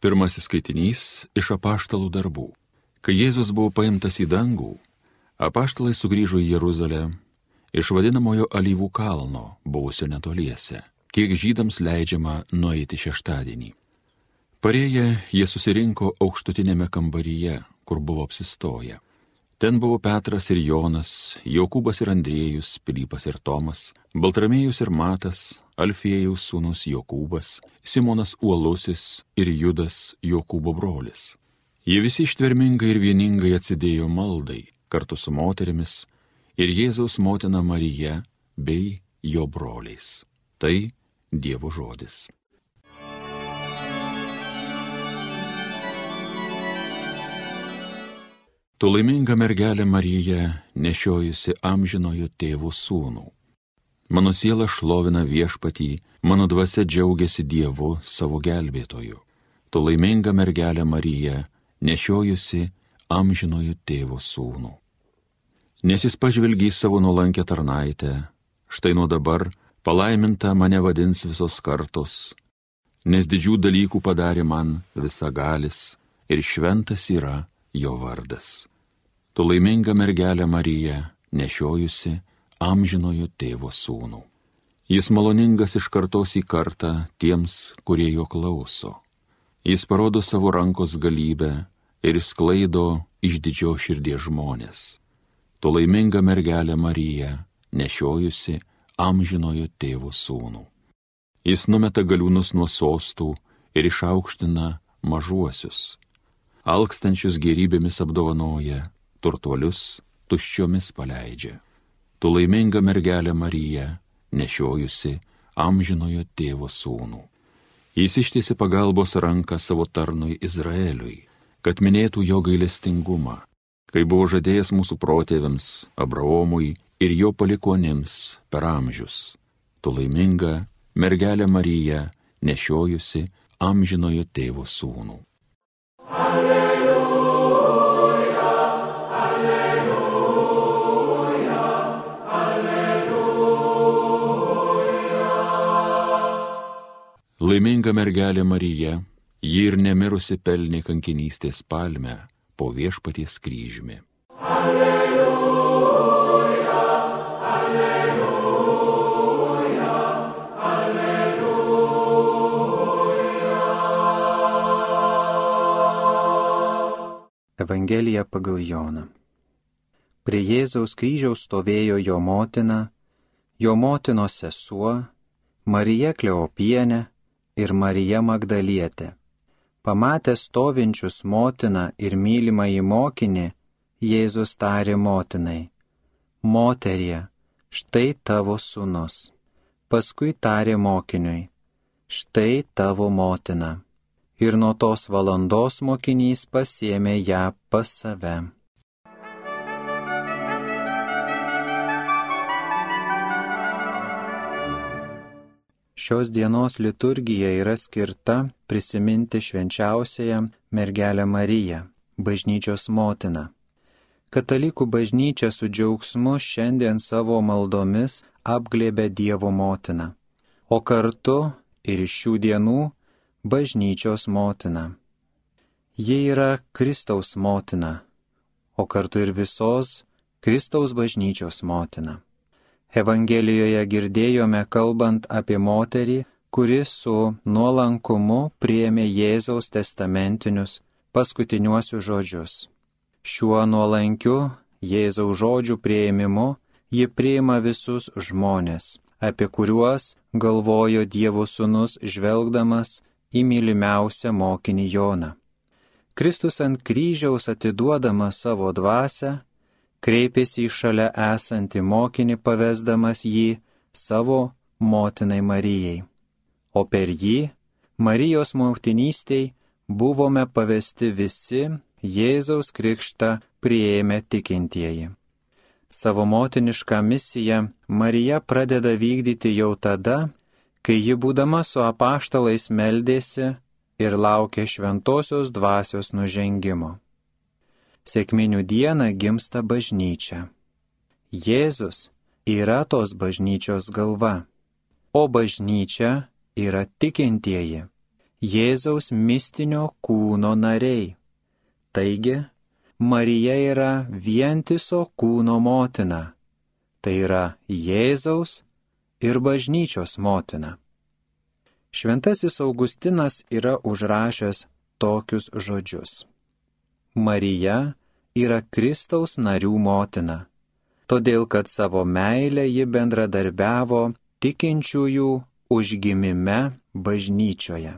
Pirmasis skaitinys iš apaštalų darbų. Kai Jėzus buvo paimtas į dangų, apaštalai sugrįžo į Jeruzalę iš vadinamojo Alyvų kalno, buvusio netoliese, kiek žydams leidžiama nueiti šeštadienį. Parėję, jie susirinko aukštutinėme kambaryje, kur buvo apsistoję. Ten buvo Petras ir Jonas, Jokūbas ir Andriejus, Pilypas ir Tomas, Baltramiejus ir Matas, Alfiejaus sūnus Jokūbas, Simonas Uolusis ir Judas Jokūbo brolis. Jie visi ištvermingai ir vieningai atsidėjo maldai, kartu su moterimis ir Jėzaus motina Marija bei jo broliais. Tai Dievo žodis. Tu laiminga mergelė Marija, nešiojusi amžinojo tėvo sūnų. Mano siela šlovina Viešpatį, mano dvasia džiaugiasi Dievu savo gelbėtoju. Tu laiminga mergelė Marija, nešiojusi amžinojo tėvo sūnų. Nes jis pažvelgė į savo nuolankę tarnaitę, štai nuo dabar palaiminta mane vadins visos kartos, nes didžių dalykų padarė man visagalis ir šventas yra jo vardas. Tu laiminga mergelė Marija, nešiojusi amžinojo tėvo sūnų. Jis maloningas iš kartos į kartą tiems, kurie jo klauso. Jis parodo savo rankos galybę ir išsklaido iš didžios širdies žmonės. Tu laiminga mergelė Marija, nešiojusi amžinojo tėvo sūnų. Jis numeta galiūnus nuo sostų ir išaukština mažuosius. Alkstančius gėrybėmis apdovanoja, turtuolius tuščiomis paleidžia. Tu laiminga mergelė Marija, nešiojusi amžinojo tėvo sūnų. Jis ištiesė pagalbos ranką savo tarnui Izraeliui, kad minėtų jo gailestingumą, kai buvo žadėjęs mūsų protėviams, Abraomui ir jo palikuonims per amžius. Tu laiminga mergelė Marija, nešiojusi amžinojo tėvo sūnų. Alleluja, alleluja, alleluja. Laiminga mergelė Marija, ji ir nemirusi pelnė kankinystės palmę po Viešpaties kryžiumi. Alleluja, alleluja, alleluja. Evangelija pagal Joną. Prie Jėzaus kryžiaus stovėjo jo motina, jo motinos sesuo, Marija Kleopienė ir Marija Magdalietė. Pamatęs stovinčius motiną ir mylimąjį mokinį, Jėzus tarė motinai: Moterie, štai tavo sūnus. Paskui tarė mokiniui: Štai tavo motina. Ir nuo tos valandos mokinys pasiėmė ją pas save. Šios dienos liturgija yra skirta prisiminti švenčiausiąją mergelę Mariją, bažnyčios motiną. Katalikų bažnyčia su džiaugsmu šiandien savo maldomis apglėbia Dievo motiną, o kartu ir iš šių dienų bažnyčios motina. Ji yra Kristaus motina, o kartu ir visos Kristaus bažnyčios motina. Evangelijoje girdėjome kalbant apie moterį, kuri su nuolankumu priėmė Jėzaus testamentinius paskutiniuosius žodžius. Šiuo nuolankiu Jėzaus žodžių priėmimu ji priima visus žmonės, apie kuriuos galvojo Dievo sūnus žvelgdamas į mylimiausią mokinį Joną. Kristus ant kryžiaus atiduodamas savo dvasią, kreipėsi į šalia esantį mokinį, pavesdamas jį savo motinai Marijai. O per jį, Marijos motinystei, buvome pavesti visi Jėzaus krikštą priėmę tikintieji. Savo motinišką misiją Marija pradeda vykdyti jau tada, kai ji būdama su apaštalais meldėsi ir laukė šventosios dvasios nužengimo. Sekminių dieną gimsta bažnyčia. Jėzus yra tos bažnyčios galva, o bažnyčia yra tikintieji. Jėzaus mistinio kūno nariai. Taigi, Marija yra vientiso kūno motina. Tai yra Jėzaus ir bažnyčios motina. Šventasis Augustinas yra užrašęs tokius žodžius. Marija yra Kristaus narių motina, todėl kad savo meilę ji bendradarbiavo tikinčiųjų užgimime bažnyčioje.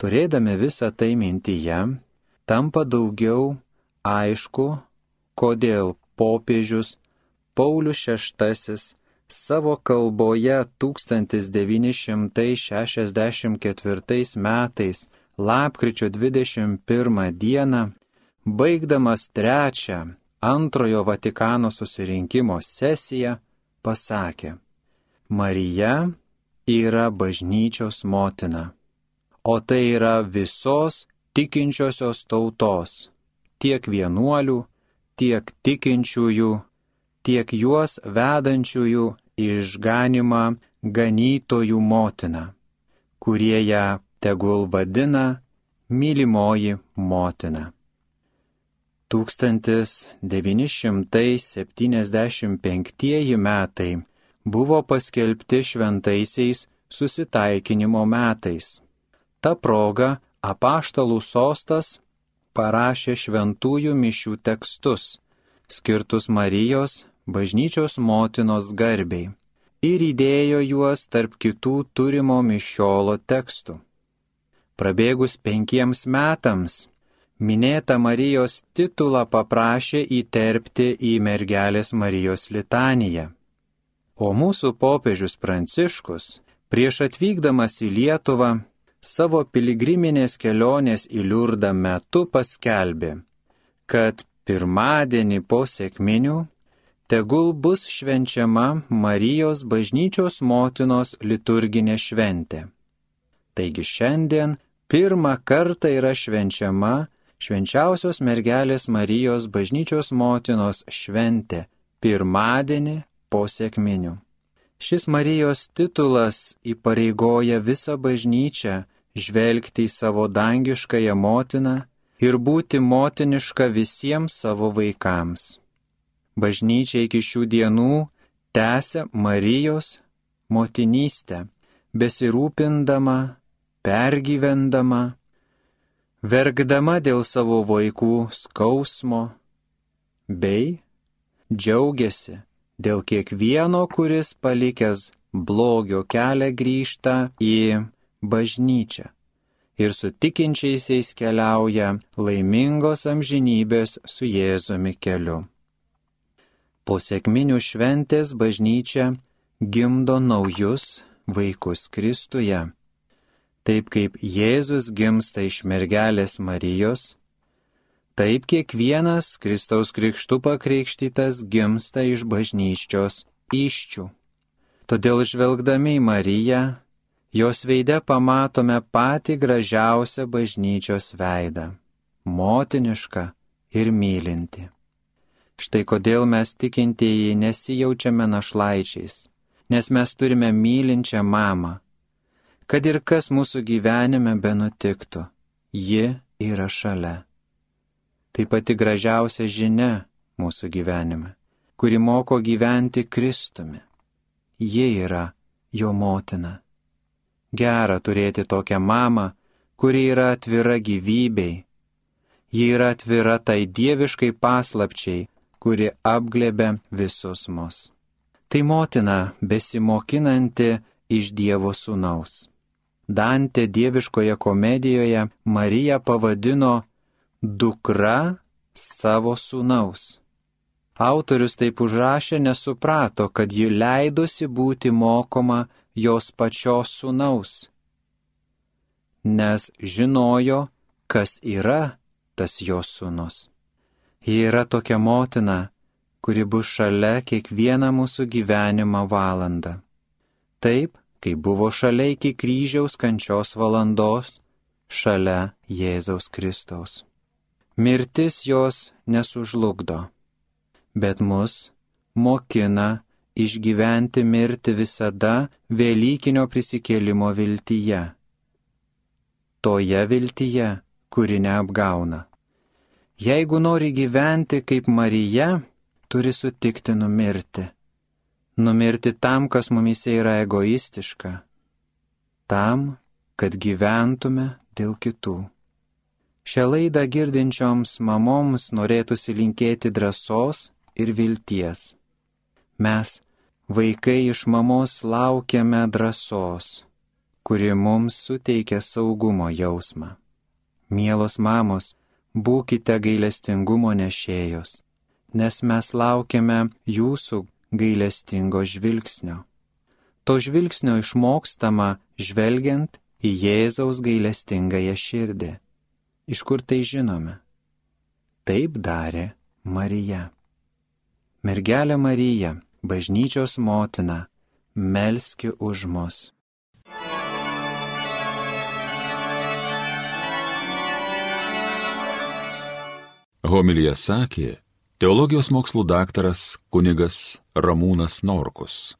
Turėdami visą tai mintyje, tampa daugiau aišku, kodėl popiežius Paulius VI savo kalboje 1964 metais lapkričio 21 dieną, baigdamas trečią Antrojo Vatikano susirinkimo sesiją, pasakė: Marija yra bažnyčios motina, o tai yra visos tikinčiosios tautos, tiek vienuolių, tiek tikinčiųjų, tiek juos vedančiųjų į išganymą ganytojų motina, kurie ją tegul vadina mylimoji motina. 1975 metai buvo paskelbti šventaisiais susitaikinimo metais. Ta proga apaštalų sostas parašė šventųjų mišių tekstus, skirtus Marijos, bažnyčios motinos garbei, ir įdėjo juos tarp kitų turimo mišiolo tekstų. Prabėgus 5 metams, minėtą Marijos titulą paprašė įterpti į mergelės Marijos litaniją. O mūsų popiežius Pranciškus, prieš atvykdamas į Lietuvą, savo piligriminės kelionės į Liurdą metu paskelbė, kad pirmadienį po sekminių tegul bus švenčiama Marijos bažnyčios motinos liturginė šventė. Taigi šiandien pirmą kartą yra švenčiama švenčiausios mergelės Marijos bažnyčios motinos šventė pirmadienį po sekminių. Šis Marijos titulas įpareigoja visą bažnyčią žvelgti į savo dangiškąją motiną ir būti motiniška visiems savo vaikams. Bažnyčia iki šių dienų tęsia Marijos motinystę, besirūpindama, pergyvendama, verkdama dėl savo vaikų skausmo, bei džiaugiasi dėl kiekvieno, kuris palikęs blogio kelią grįžta į bažnyčią ir su tikinčiaisiais keliauja laimingos amžinybės su Jėzumi keliu. Po sekminių šventės bažnyčia gimdo naujus vaikus Kristuje. Taip kaip Jėzus gimsta iš mergelės Marijos, taip kiekvienas Kristaus krikštu pakrikštytas gimsta iš bažnyčios įsčių. Todėl žvelgdami į Mariją, jos veide pamatome patį gražiausią bažnyčios veidą - motinišką ir mylinti. Štai kodėl mes tikintieji nesijaučiame našlaičiais, nes mes turime mylinčią mamą. Kad ir kas mūsų gyvenime benutiktų, ji yra šalia. Tai pati gražiausia žinia mūsų gyvenime, kuri moko gyventi Kristumi. Ji yra jo motina. Gera turėti tokią mamą, kuri yra atvira gyvybei. Ji yra atvira tai dieviškai paslapčiai, kuri apglėbia visus mus. Tai motina besimokinanti iš Dievo sūnaus. Dantė dieviškoje komedijoje Mariją pavadino dukra savo sūnaus. Autorius taip užrašė, nesuprato, kad ji leidosi būti mokoma jos pačios sūnaus, nes žinojo, kas yra tas jos sūnus. Ji yra tokia motina, kuri bus šalia kiekvieną mūsų gyvenimo valandą. Taip, kai buvo šalia iki kryžiaus kančios valandos, šalia Jėzaus Kristaus. Mirtis jos nesužlugdo, bet mus mokina išgyventi mirtį visada Velykinio prisikėlimo viltyje. toje viltyje, kuri neapgauna. Jeigu nori gyventi kaip Marija, turi sutikti numirti. Numirti tam, kas mumise yra egoistiška. Tam, kad gyventume dėl kitų. Šią laidą girdinčioms mamoms norėtųsi linkėti drąsos ir vilties. Mes, vaikai iš mamos, laukiame drąsos, kuri mums suteikia saugumo jausmą. Mielos mamos, būkite gailestingumo nešėjos, nes mes laukiame jūsų gailestingo žvilgsnio. To žvilgsnio išmokstama žvelgiant į Jėzaus gailestingąją širdį. Iš kur tai žinome? Taip darė Marija. Mergelė Marija, bažnyčios motina, melski už mus. Homiliją sakė teologijos mokslų daktaras kunigas Ramūnas Norkus.